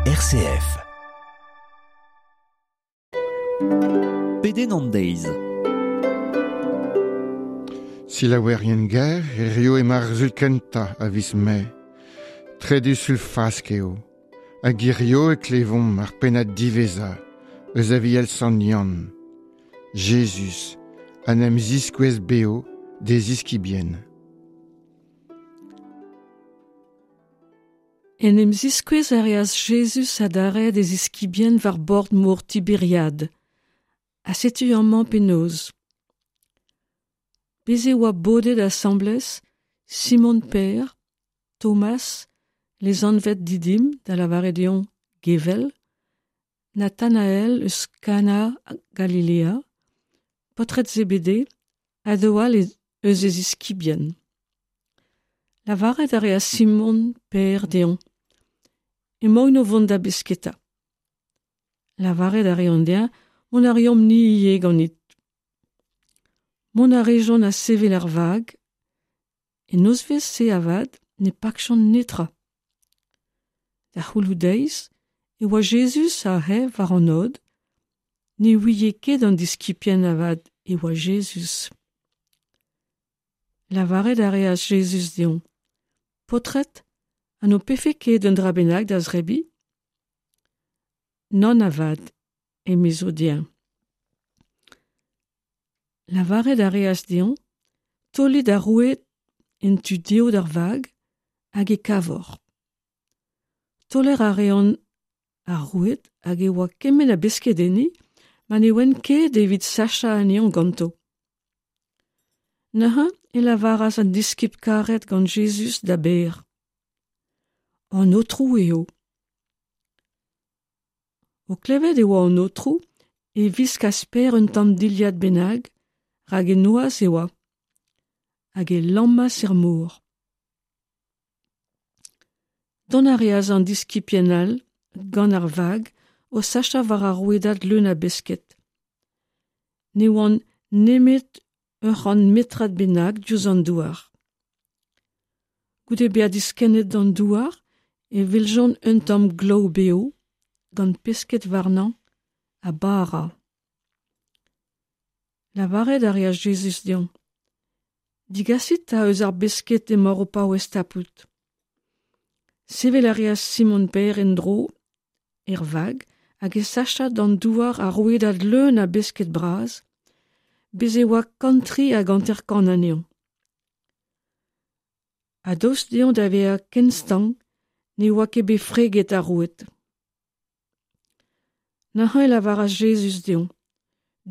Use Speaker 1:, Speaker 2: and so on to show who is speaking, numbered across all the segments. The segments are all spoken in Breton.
Speaker 1: RCF. Pedenn an deiz.
Speaker 2: Selaouerien ger, hirio emañ ar sul kentañ a viz Mae. Trede sul Fask eo. Hag hirio e klevomp ar pennad diwezhañ eus Aviel Sant Yann. Jezuz a 'n em ziskouez bev d'e ziskibien.
Speaker 3: En em ziskouez a reas Jezuz adarre d'e ziskibien war bord mor Tiberiad. Ha setu amañ penaos. Bez' e oa bodet asambles Simon Pêr, Thomas, lesanvet Didim, da lavaret eo Gevel, Nathanael eus Kana Galilea, paotred Zebede, ha daou all eus e ziskibien. Lavaret a reas Simon Pêr dezhañ Emaon o vont da besketa. Lavaret a reont dezhañ Mont a reomp-ni ivez ganit. Mont a rejont ha sevel ar vag. En nozvezh-se avat ne pakjont netra. Da c'houloù-deiz e oa Jezuz aze war an aod. Ne ouie ket an diskibien avat e oa Jezuz. Lavaret a reas Jezuz dezhañ Paotred, ha n'ho pefe ket un dra bennak da zebriñ ? Nann avat, emezo dezhañ. Lavaret a reas dezhañ Taolit ar roued en tu dehou d'ar vag hag e kavoc'h. Taoler a reont ar roued hag e oa kement a besked enni ma ne oant ket evit sachañ anezhañ ganto. Neuze e lavaras an diskibl karet gant Jezuz da Bêr An Aotrou eo. O klevet e oa an Aotrou e wiskas Pêr un tamm dilhad bennak, rak e noazh e oa, hag e lammas er mor. Dont a reas an diskibien all gant ar vag o sachañ war ar rouedad leun a besked. Ne oant nemet ur c'hant metrad bennak diouzh an douar. Goude bezañ diskennet d'an douar e weljont un tamm glaou bev gant pesked warnañ ha bara. Lavaret a reas Jezuz dezhañ Digasit 'ta eus ar besked emaoc'h o paouez tapout. Sevel a reas Simon-Pêr en-dro er vag hag e sachas d'an douar ar rouedad leun a besked bras. Bez' e oa 153 anezhañ. Ha daoust dezhañ da vezañ ken stank ne oa ket bet freget ar roued. Neuze e lavaras Jezuz dezhañ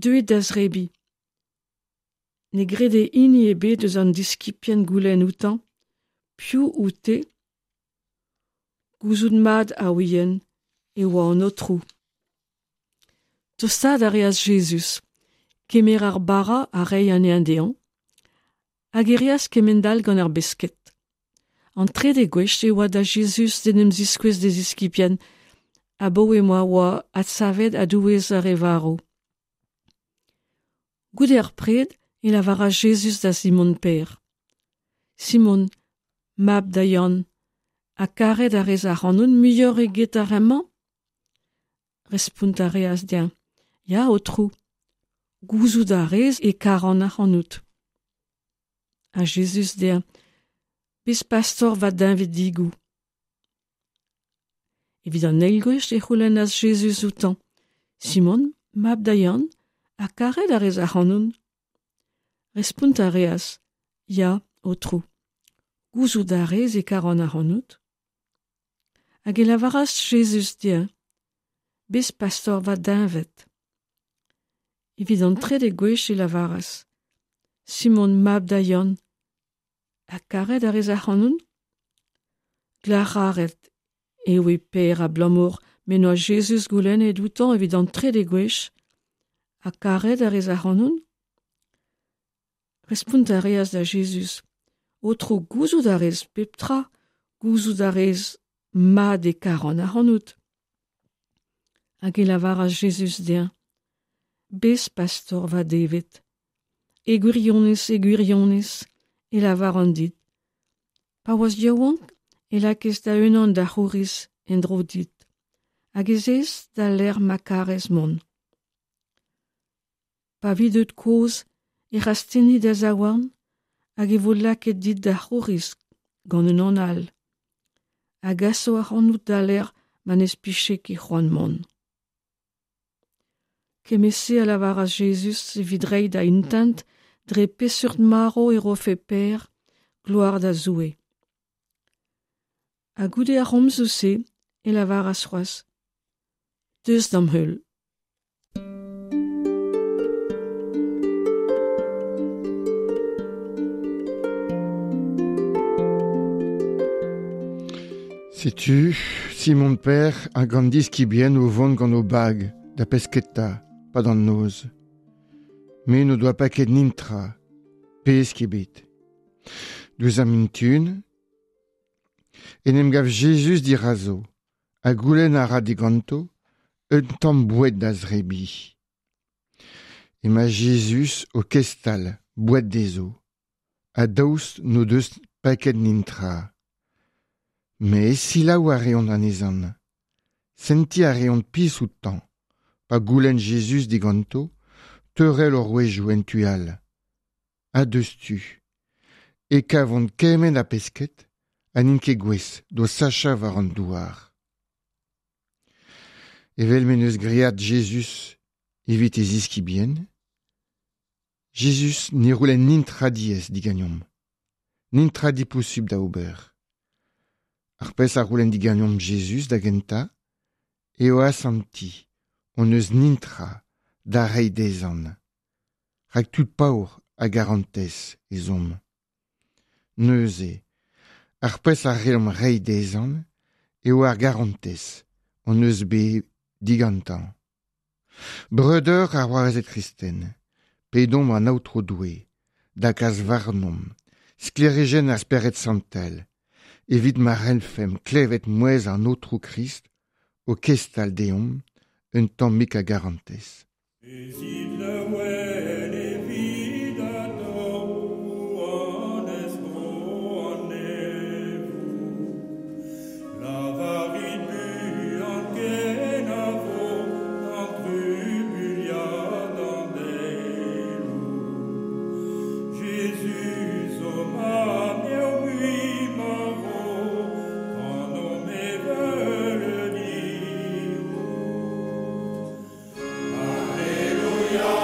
Speaker 3: Deuit da zebriñ. Ne grede hini ebet eus an diskibien goulenn outañ Piv out-te ? Gouzout mat a ouient e oa an Aotrou. Tostaat a reas Jezuz, kemer ar bara ha reiñ anezhañ dezhañ, hag e reas kement-all gant ar besked. An trede gwech e oa da Jezuz d'en em ziskouez d'e ziskibien abaoe ma oa adsavet a-douez ar re varv. Goude ar pred e lavaras Jezuz da Simon-Pêr Simon, mab da Yann, ha karet a rez ac'hanon muioc'h eget ar re-mañ ? Respont a reas dezhañ Ya, Aotrou, gouzout a rez e karan ac'hanout. Ha Jezuz dezhañ Bez pastor va deñvedigoù. Evit an eil gwech e c'houlennas Jezuz outañ Simon, mab da Yann, ha karet a rez ac'hanon ? Respont a reas Ya, Aotrou, gouzout a rez e karan ac'hanout. Hag e lavaras Jezuz dezhañ Bez pastor va deñved. Evit an trede gwech e lavaras Simon, mab da Yann, ha karet a rez ac'hanon ? Glac'haret e oe Pêr abalamour m'en doa Jezuz goulennet outañ evit an trede gwech Ha karet a rez ac'hanon ? Respont a reas da Jezuz Aotrou, gouzout a rez pep tra, gouzout a rez mat e karan ac'hanout. Hag e lavaras Jezuz dezhañ Bez pastor va devet. E gwirionez, e gwirionez, e lavaran dit. Pa oas yaouank e lakaes da-unan da c'houriz en-dro dit. hag ez ez da lec'h ma karez mont. Pa vi deut kozh e rastenni da zaouarn hag e vo lakaet dit da c'houriz gant unan all, a gaso ac'hanout da lec'h ma n'ez pije ket c'hoant mont. Kement-se a lavaras Jezuz evit reiñ da intent dre peseurt marv e rofe Pêr gloar da Zoue. Ha goude ar c'homzoù-se e lavaras c'hoazh: Deus d'am heul.
Speaker 2: Setu Simon Pêr hag an diskibien o vont gant o bag da pesketa 'pad an noz. Met n'o doa paket nintra, pesk ebet. Diouzh ar mintun en em gav Jezuz dirazo ha goulenn a ra diganto un tamm boued da zebriñ. Emañ Jezuz o kestal boued dezho ha daoust n'o deus paket nintra. Met selaou a reont anezhañ. Sentiñ a reont pizh outañ pa goulenn Jezuz diganto teurel o rouedoù en tu all. Ha diouzhtu e kavont kement a pesked ha n'int ket gouest d'o sachañ war an douar. Evel m'en deus graet Jezuz evit e ziskibien, Jezuz ne c'houlenn netra diaes diganeomp, netra diposubl da ober. Ar pezh a c'houlenn diganeomp Jezuz da gentañ eo asantiñ hon eus netra da reiñ dezhañ, rak tud paour a garantez ez omp. Neuze, ar pezh a c'hellomp reiñ dezhañ eo ar garantez hon eus bet digantañ. Breudeur ha c'hoarezed kristen, pedomp an Aotrou Doue da gas warnomp sklêrijenn ar Spered Santel, evit ma c'hellfemp klevet mouezh an Aotrou Krist o kestal deomp un tammig a garantez.
Speaker 1: Bezit laouen evit atao, rouanez bro an neñvoù. Lavarit buan kenavo d'an trubuilhad an daeloù. Jezuz ho mab n'eo mui marv, kanomp e veuleudioù. Alleluia,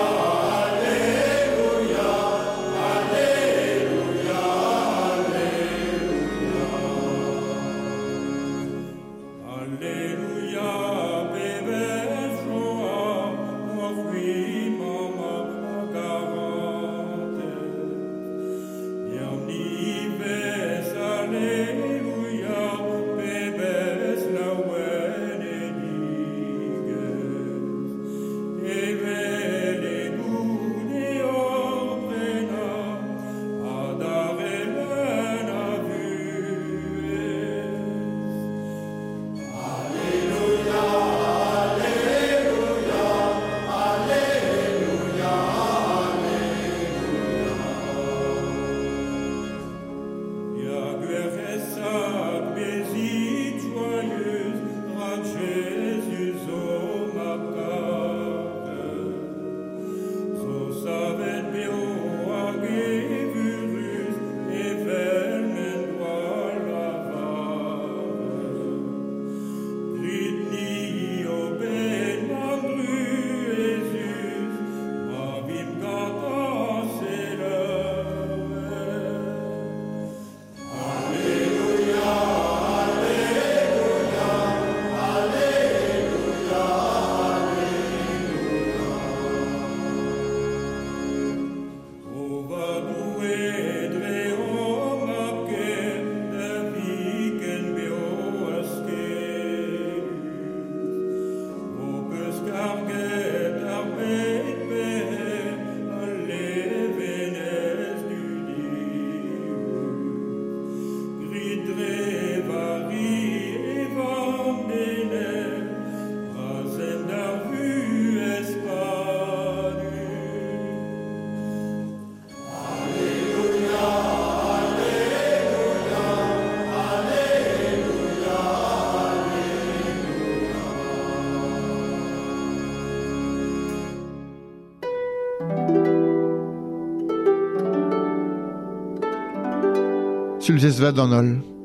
Speaker 2: Sulvezh vat d'an holl.